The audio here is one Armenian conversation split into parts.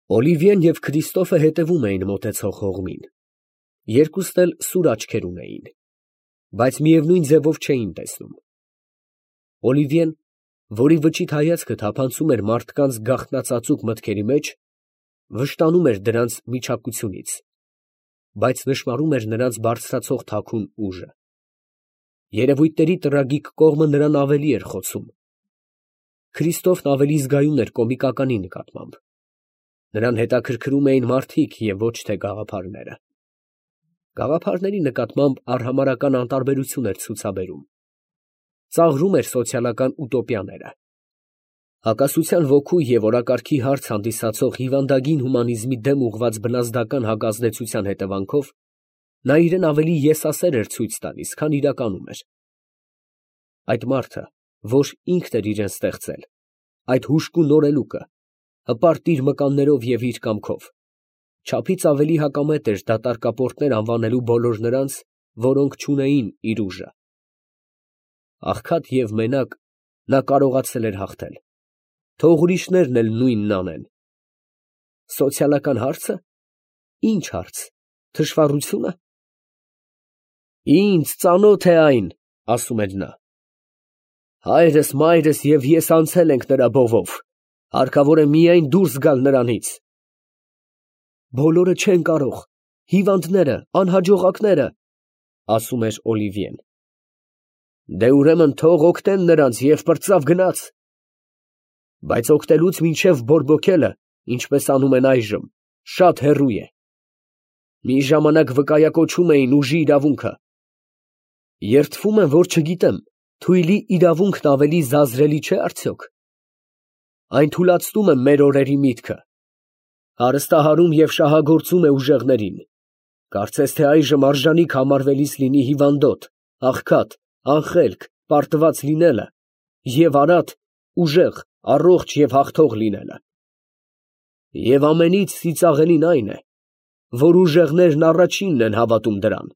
Օլիվիեն և Քրիստոֆը հետևում էին մոտեցող հողմին. երկուսն էլ սուր աչքեր ունեին, բայց միևնույն ձևով չէին տեսնում. Օլիվիեն, որի վճիտ հայացքը թափանցում էր մարդկանց գաղտնածածուկ մտքերի մեջ, վշտանում էր դրանց միջակությունից, բայց նշմարում էր նրանց բարձրացող թաքուն ուժը. երևույթների տրագիկ կողմը նրան ավելի էր խոցում. Քրիստոֆն ավելի զգայուն էր կոմիկականի նկատմամբ. նրան հետաքրքրում էին մարդիկ և ոչ թե գաղափարները. գաղափարների նկատմամբ արհամարհական անտարբերություն էր ցուցաբերում. ծաղրում էր սոցիալական ուտոպիաները. հակասության ոգու և օրակարգի հարց հանդիսացող հիվանդագին հումանիզմի դեմ ուղղված բնազդական հակազդեցության հետևանքով նա իրեն ավելի եսասեր էր ցույց տալիս, քան իրականում էր. այդ մարդը, որ ինքն էր իրեն ստեղծել, այդ հուժկու նորելուկը, հպարտ իր մկաններով և իր կամքով, չափից ավելի հակամետ էր դատարկապորտներ անվանելու բոլոր նրանց, որոնք չունեին իր ուժը. աղքատ և մենակ նա կարողացել էր հաղթել, թող ուրիշներն էլ նույնն անեն. սոցիալական հարցը, ի՞նչ հարց, թշվառությո՞ւնը։ Ինձ ծանոթ է այն, ասում էր նա. հայրս, մայրս և ես անցել ենք նրա բովով, հարկավոր է միայն դուրս գալ նրանից։ Բոլորը չեն կարող, հիվանդները, անհաջողակները, ասում էր Օլիվիեն։ Դե ուրեմն թող օգնեն նրանց և պրծավ գնաց։ Բայց օգնելուց մինչև բորբոքելը, ինչպես անում են այժմ, շատ հեռու է։ Մի ժամանակ վկայակոչում էին ուժի իրավունքը։ Երդվում եմ, որ չգիտեմ, թույլի իրավունքն ավելի զազրելի չէ արդյոք։ Այն թուլացնում է մեր օրերի միտքը, հարստահարում և շահագործում է ուժեղներին, կարծես թե այժմ արժանիք համարվելիս լինի հիվանդոտ, աղքատ, անխելք, պարտված լինելը և արատ, ուժեղ, առողջ և հաղթող լինելը։ Եվ ամենից ծիծաղելին այն է, որ ուժեղներն առաջինն են հավատում դրան։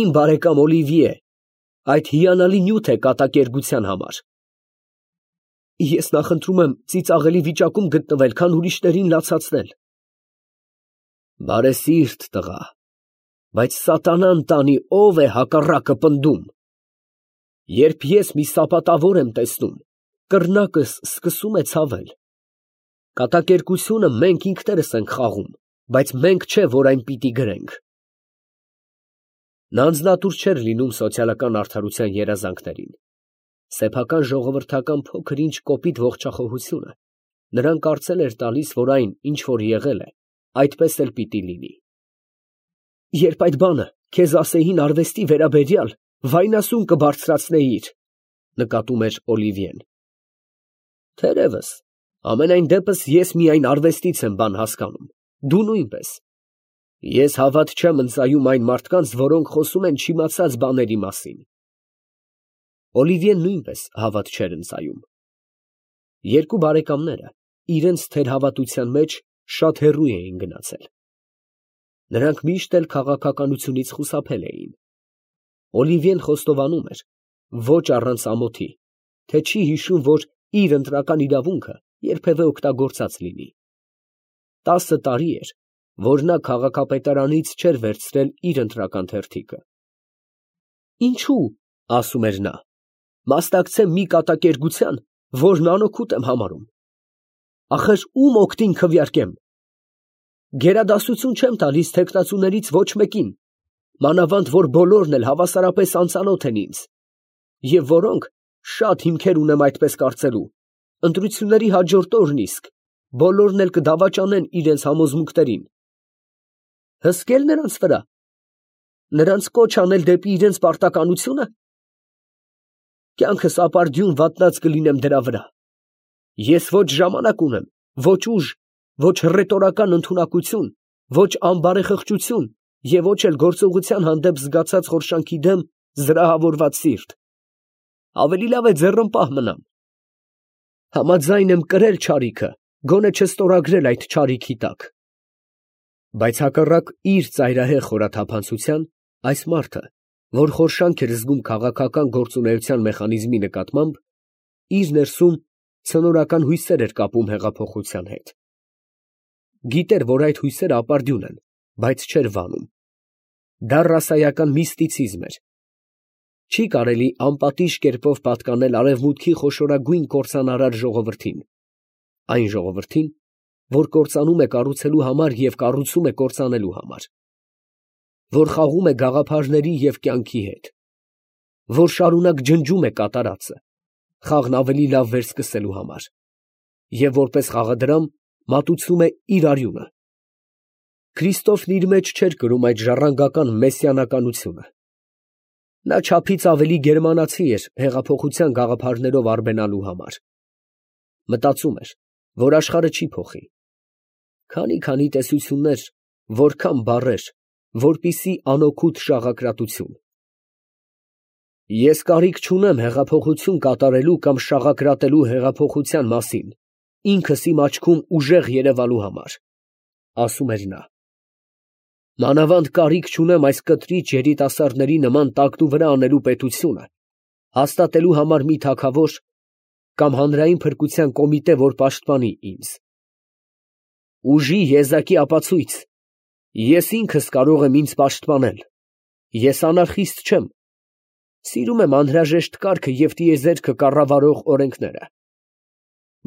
Իմ բարեկամ Օլիվիե, այդ հիանալի նյութ է կատակերգության համար։ Ես նախընտրում եմ ծիծաղելի վիճակում գտնվել, քան ուրիշներին լացացնել։ Բարեսիրտ տղա, բայց սատանան տանի, ով է հակառակը պնդում։ Երբ ես մի սապատավոր եմ տեսնում, կռնակս սկսում է ցավել։ Կատակերգությունը մենք ինքներս ենք խաղում, բայց մենք չէ, որ այն պիտի գրենք։ Նա անձնատուր չէր լինում սոցիալական արդարության երազանքներին. սեփական ժողովրդական փոքր-ինչ կոպիտ ողջախոհությունը նրան կարծել էր տալիս, որ այն, ինչ որ եղել է, այդպես էլ պիտի լինի։ Երբ այդ բանը քեզ ասեին արվեստի վերաբերյալ, վայնասուն կբարձրացնեիր, նկատում էր Օլիվիեն։ Թերևս, ամենայն դեպս ես միայն արվեստից եմ բան հասկանում, դու նույնպես։ Ես հավատ չեմ ընծայում այն մարդկանց, որոնք խոսում են չիմացած բաների մասին։ Օլիվիեն նույնպես հավատ չէր ընծայում։ Երկու բարեկամները իրենց թերհավատության մեջ շատ հեռու էին գնացել։ Նրանք միշտ էլ քաղաքականությունից խուսափել էին։ Օլիվիեն խոստովանում էր, ոչ առանց ամոթի, թե չի հիշում, որ իր ընտրական իրավունքը երբևէ օգտագործած լինի։ 10 տարի էր, որ նա քաղաքապետարանից չէր վերցրել իր ընտրական թերթիկը։ Ինչու, ասում էր նա, մասնակցեմ մի կատակերգության, որն անօգուտ եմ համարում։ Ախր ում օգտին քվեարկեմ։ Գերադասություն չեմ տալիս թեկնածուներից ոչ մեկին, մանավանդ որ բոլորն էլ հավասարապես անծանոթ են ինձ, և որոնք, շատ հիմքեր ունեմ այդպես կարծելու, ընտրությունների հաջորդ օրն իսկ բոլորն էլ կդավաճանեն իրենց համոզմունքներին։ Հսկել նրանց վրա, նրանց կոչ անել դեպի իրենց պարտականությունը։ Կյանքս ապարդյուն վատնած կլինեմ դրա վրա։ Ես ոչ ժամանակ ունեմ, ոչ ուժ, ոչ հռետորական ընդունակություն, ոչ անբարեխղճություն և ոչ էլ գործողության հանդեպ զգացած խորշանքի դեմ զրահավորված սիրտ։ Ավելի լավ է ձեռնպահ մնամ։ Համաձայն եմ կրել չարիքը, գոնե չստորագրել այդ չարիքի տակ։ Բայց հակառակ իր ծայրահեղ խորաթափանցության, այս մարդը, որ խորշանք էր զգում քաղաքական գործունեության մեխանիզմի նկատմամբ, իր ներսում ցնորական հույսեր էր կապում հեղափոխության հետ։ Գիտեր, որ այդ հույսերը ապարդյուն են, բայց չէր վանում։ Դա ռասայական միստիցիզմ էր։ Չի կարելի անպատիժ կերպով պատկանել արևմուտքի խոշորագույն կործանարար ժողովրդին, այն ժողովրդին, որ կործանում է կառուցելու համար և կառուցում է կործանելու համար, որ խաղում է գաղափարների և կյանքի հետ, որ շարունակ ջնջում է կատարածը, խաղն ավելի լավ վերսկսելու համար, և որպես խաղադրամ մատուցում է իր արյունը։ Քրիստոֆն իր մեջ չէր կրում այդ ժառանգական մեսսիանականությունը։ Նա չափից ավելի գերմանացի էր հեղափոխության գաղափարներով արբենալու համար։ Մտածում էր, որ աշխարհը չի փոխի։ Քանի տեսություններ, որքան բառեր, որպիսի անօգուտ շաղակրատություն։ Ես կարիք չունեմ հեղափոխություն կատարելու կամ շաղակրատելու հեղափոխության մասին, ինքս իմ աչքում ուժեղ երևալու համար, ասում էր նա։ Մանավանդ կարիք չունեմ այս կտրիչ երիտասարդների նման տակնուվրա անելու պետությունը, հաստատելու համար մի թագավոր կամ հանրային փրկության կոմիտե, որ պաշտպանի ինձ։ Ուժի եզակի ապացույց, ես ինքս կարող եմ ինձ պաշտպանել, ես անարխիստ չեմ, սիրում եմ անհրաժեշտ կարգը և տիեզերքը կառավարող օրենքները,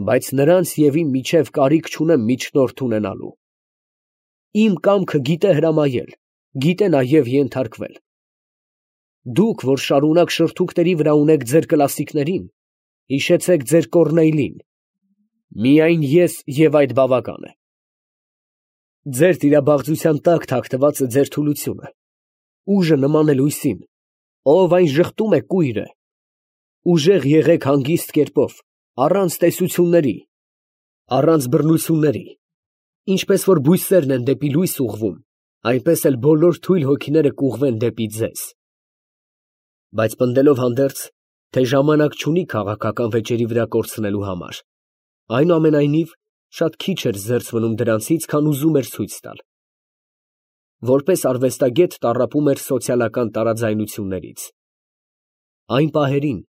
բայց նրանց և իմ միջև կարիք չունեմ միջնորդ ունենալու։ Իմ կամքը գիտե հրամայել, գիտե նաև ենթարկվել։ Դուք, որ շարունակ շրթունքների վրա ունեք ձեր կլասիկներին, հիշեցեք ձեր Կոռնեյլին, միայն ես և այդ բավական է։ Ձեր տիրաբաղձության տակ թաքնված է ձեր թուլությունը, ուժը նման է լույսին, ով այն ժխտում է կույր է։ Ուժեղ եղեք հանգիստ կերպով, առանց տեսությունների, առանց բռնությունների, ինչպես որ բույսերն են դեպի լույս ուղղվում, այնպես էլ բոլոր թույլ հոգիները կուղղվեն դեպի ձեզ։ Բայց պնդելով հանդերձ, թե ժամանակ չունի քաղաքական վեճերի վրա կորցնելու համար, այնուամենայնիվ շատ քիչ էր զերծ մնում դրանցից, քան ուզում էր ցույց տալ։ Որպես արվեստագետ տառապում էր սոցիալական տարաձայնություններից։ Այն պահերին,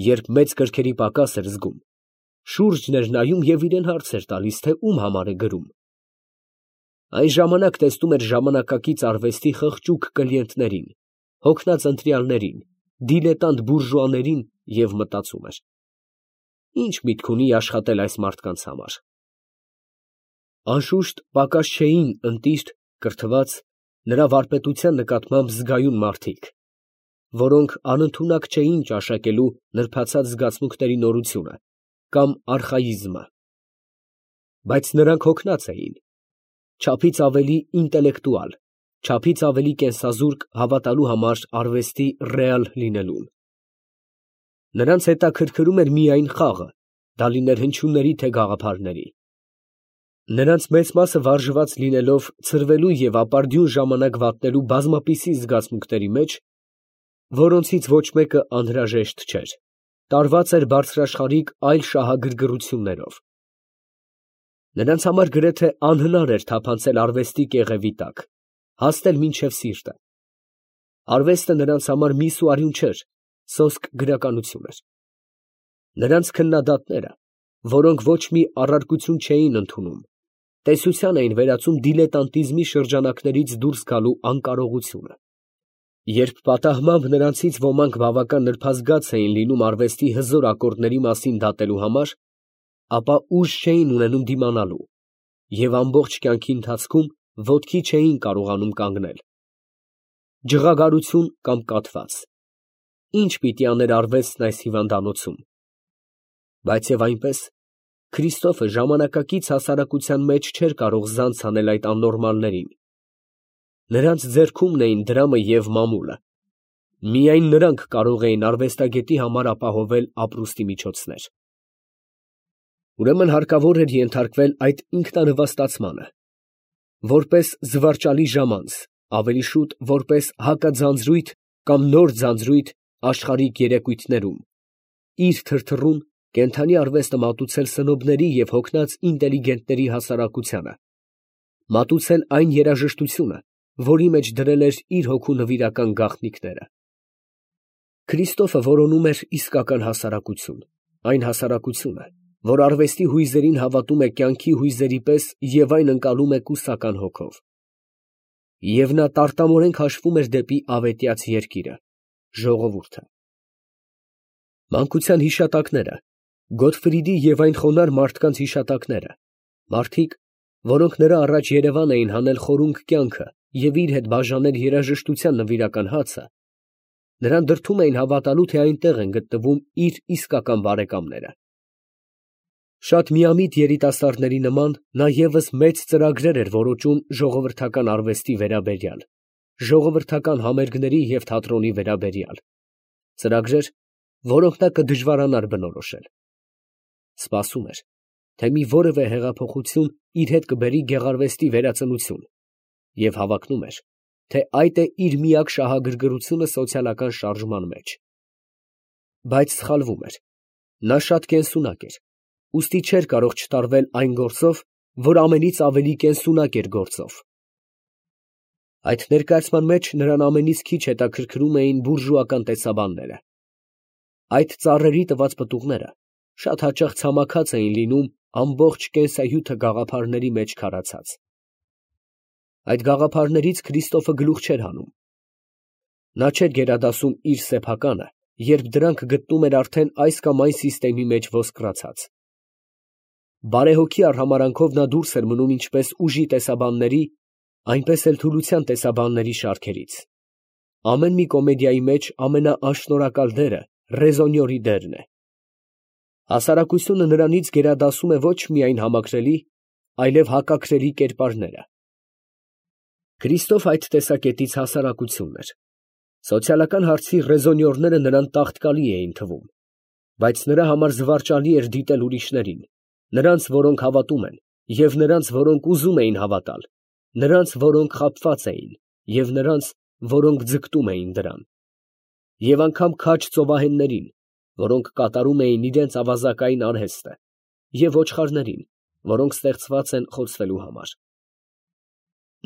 երբ մեծ կրքերի պակաս էր զգում, շուրջն էր նայում և իրան հարց էր տալիս, թե ում համար է գրում։ Այն ժամանակ տեսնում էր ժամանակակից արվեստի խղճուկ կլիենտներին, հոգնած ընտրյալներին, դիլետանտ բուրժուաներին և մտածում էր. ինչ միտք ունի աշխատել այս մարդկանց համար։ Անշուշտ պակաս չէին ընտիր, կրթված, նրա վարպետության նկատմամբ զգայուն մարդիկ, որոնք անընդունակ չէին ճաշակելու նրբացած զգացմունքների նորությունը կամ արխայիզմը, բայց նրանք հոգնած էին, չափից ավելի ինտելեկտուալ, չափից ավելի կենսազուրկ հավատալու համար արվեստի ռեալ լինելուն։ Նրանց հետաքրքրում էր միայն խաղը, դա լիներ հնչյունների թե գաղափարների։ Նրանց մեծ մասը վարժված լինելով ցրվելու և ապարդյուն ժամանակ վատնելու բազմապիսի զգացմունքների մեջ, որոնցից ոչ մեկը անհրաժեշտ չէր, տարված էր բարձրաշխարհիկ այլ շահագրգռություններով։ Նրանց համար գրեթե անհնար էր թափանցել արվեստի կեղևի տակ, հասնել մինչև սիրտը։ Արվեստը նրանց համար միս ու արյուն չէր, սոսկ գրականություն էր։ Նրանց քննադատները, որոնք ոչ մի առարկություն չէին ընդունում, տեսության էին վերածում դիլետանտիզմի շրջանակներից դուրս գալու անկարողությունը։ Երբ պատահմամբ նրանցից ոմանք բավական նրբազգաց էին լինում արվեստի հզոր ակորդների մասին դատելու համար, ապա ուժ չէին ունենում դիմանալու և ամբողջ կյանքի ընթացքում ոտքի չէին կարողանում կանգնել։ Ջղագարություն կամ կաթված։ Ինչ պիտի աներ արվեստն այս հիվանդանոցում։ Բայց և այնպես, Քրիստոֆը ժամանակակից հասարակության մեջ չէր կարող զանց անել այդ աննորմալներին։ Նրանց ձեռքումն էին դրամը և մամուլը։ Միայն նրանք կարող էին արվեստագետի համար ապահովել ապրուստի միջոցներ։ Ուրեմն հարկավոր էր ենթարկվել այդ ինքնանվաստացմանը, որպես զվարճալի ժամանց, ավելի շուտ որպես հակաձանձրույթ կամ նոր ձանձրույթ աշխարհիկ երեկույթներում, իր թրթռուն, կենդանի արվեստը մատուցել սնոբների և հոգնած ինտելիգենտների հասարակությանը, մատուցել այն երաժշտությունը, որի մեջ դրել էր իր հոգու նվիրական գաղտնիքները։ Քրիստոֆը որոնում էր իսկական հասարակություն, այն հասարակությունը, որ արվեստի հույզերին հավատում է կյանքի հույզերի պես և այն ընկալում է կուսական հոգով։ Եվ նա տարտամորեն քաշվում էր դեպի ավետյաց երկիրը, ժողովուրդը։ Մանկության հիշատակները, Գոթֆրիդի և այն խոնարհ մարդկանց հիշատակները, մարդիկ, որոնք նրա առաջ երևան էին հանել խորունգ կյանքը և իր հետ բաժանել երաժշտության նվիրական հացը, նրան դրդում էին հավատալու, թե այնտեղ են գտնվում իր իսկական բարեկամները։ Շատ միամիտ երիտասարդների նման նա ևս մեծ ծրագրեր էր որոճում ժողովրդական արվեստի վերաբերյալ, ժողովրդական համերգների և թատրոնի վերաբերյալ, ծրագրեր, որոնք նա կդժվարանար բնորոշել։ Սպասում էր, թե մի որևէ հեղափոխություն իր հետ կբերի գեղարվեստի վերածնություն, և հավակնում էր, թե այդ է իր միակ շահագրգռությունը սոցիալական շարժման մեջ։ Բայց սխալվում էր. նա շատ կենսունակ էր, ուստի չէր կարող չտարվել այն գործով, որ ամենից ավելի կենսունակ էր գործով։ Այդ ներկայացման մեջ նրան ամենից քիչ հետաքրքրում էին բուրժուական տեսաբանները։ Այդ ծառերի տված պտուղները շատ հաճախ ցամաքած էին լինում ամբողջ կենսահյութը գաղափարների մեջ քարացած։ Այդ գաղափարներից Քրիստոֆը գլուխ չէր հանում։ Նա չէր գերադասում իր սեփականը, երբ դրանք գտնում էր արդեն այս կամ այն սիստեմի մեջ ոսկրացած։ Բարեհոգի արհամարհանքով նա դուրս էր մնում ինչպես ուժի տեսաբանների, այնպես էլ թուլության տեսաբանների շարքերից։ Ամեն մի կոմեդիայի մեջ ամենաանշնորհակալ դերը ռեզոնյորի դերն է։ Հասարակությունը նրանից գերադասում է ոչ միայն համակրելի, այլև հակակրելի կերպարները։ Քրիստոֆ այդ տեսակետից հասարակությունն էր։ Սոցիալական հարցի ռեզոնյորները նրան տաղտկալի էին թվում, բայց նրա համար զվարճալի էր դիտել ուրիշներին, նրանց, որոնք հավատում են, և նրանց, որոնք ուզում էին հավատալ, նրանց, որոնք խաբված էին, և նրանց, որոնք ձգտում էին դրան, և անգամ քաջ ծովահեններին, որոնք կատարում էին իրենց ավազակային արհեստը, և ոչխարներին, որոնք ստեղծված են խոցվելու համար։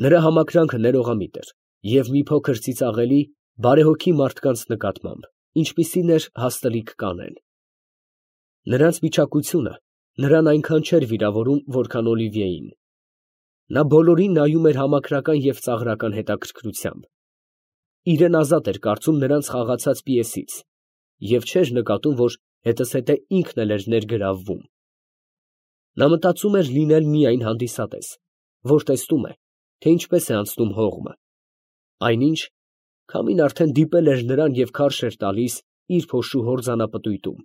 Նրա համակրանքը ներողամիտ էր և մի փոքր ծիծաղելի, բարեհոգի մարդկանց նկատմամբ, ինչպիսին էր հաստլիկ կանեն։ Նրանց վիճակությունը նրան այնքան չէր վիրավորում, որքան Օլիվիեին։ Նա բոլորին նայում էր համակրական և ծաղրական հետաքրքրությամբ։ Իրեն ազատ էր կարծում նրանց խաղացած պիեսից և չէր նկատում, որ հետզհետե ինքն էլ էր ներգրավվում։ Նա մտածում էր լինել միայն հանդիսատես, որ տեսնում է, թե ինչպես է անցնում հողմը, այնինչ, քամին արդեն դիպել էր նրան և քարշ էր տալիս իր փոշու հորձանապտույտում։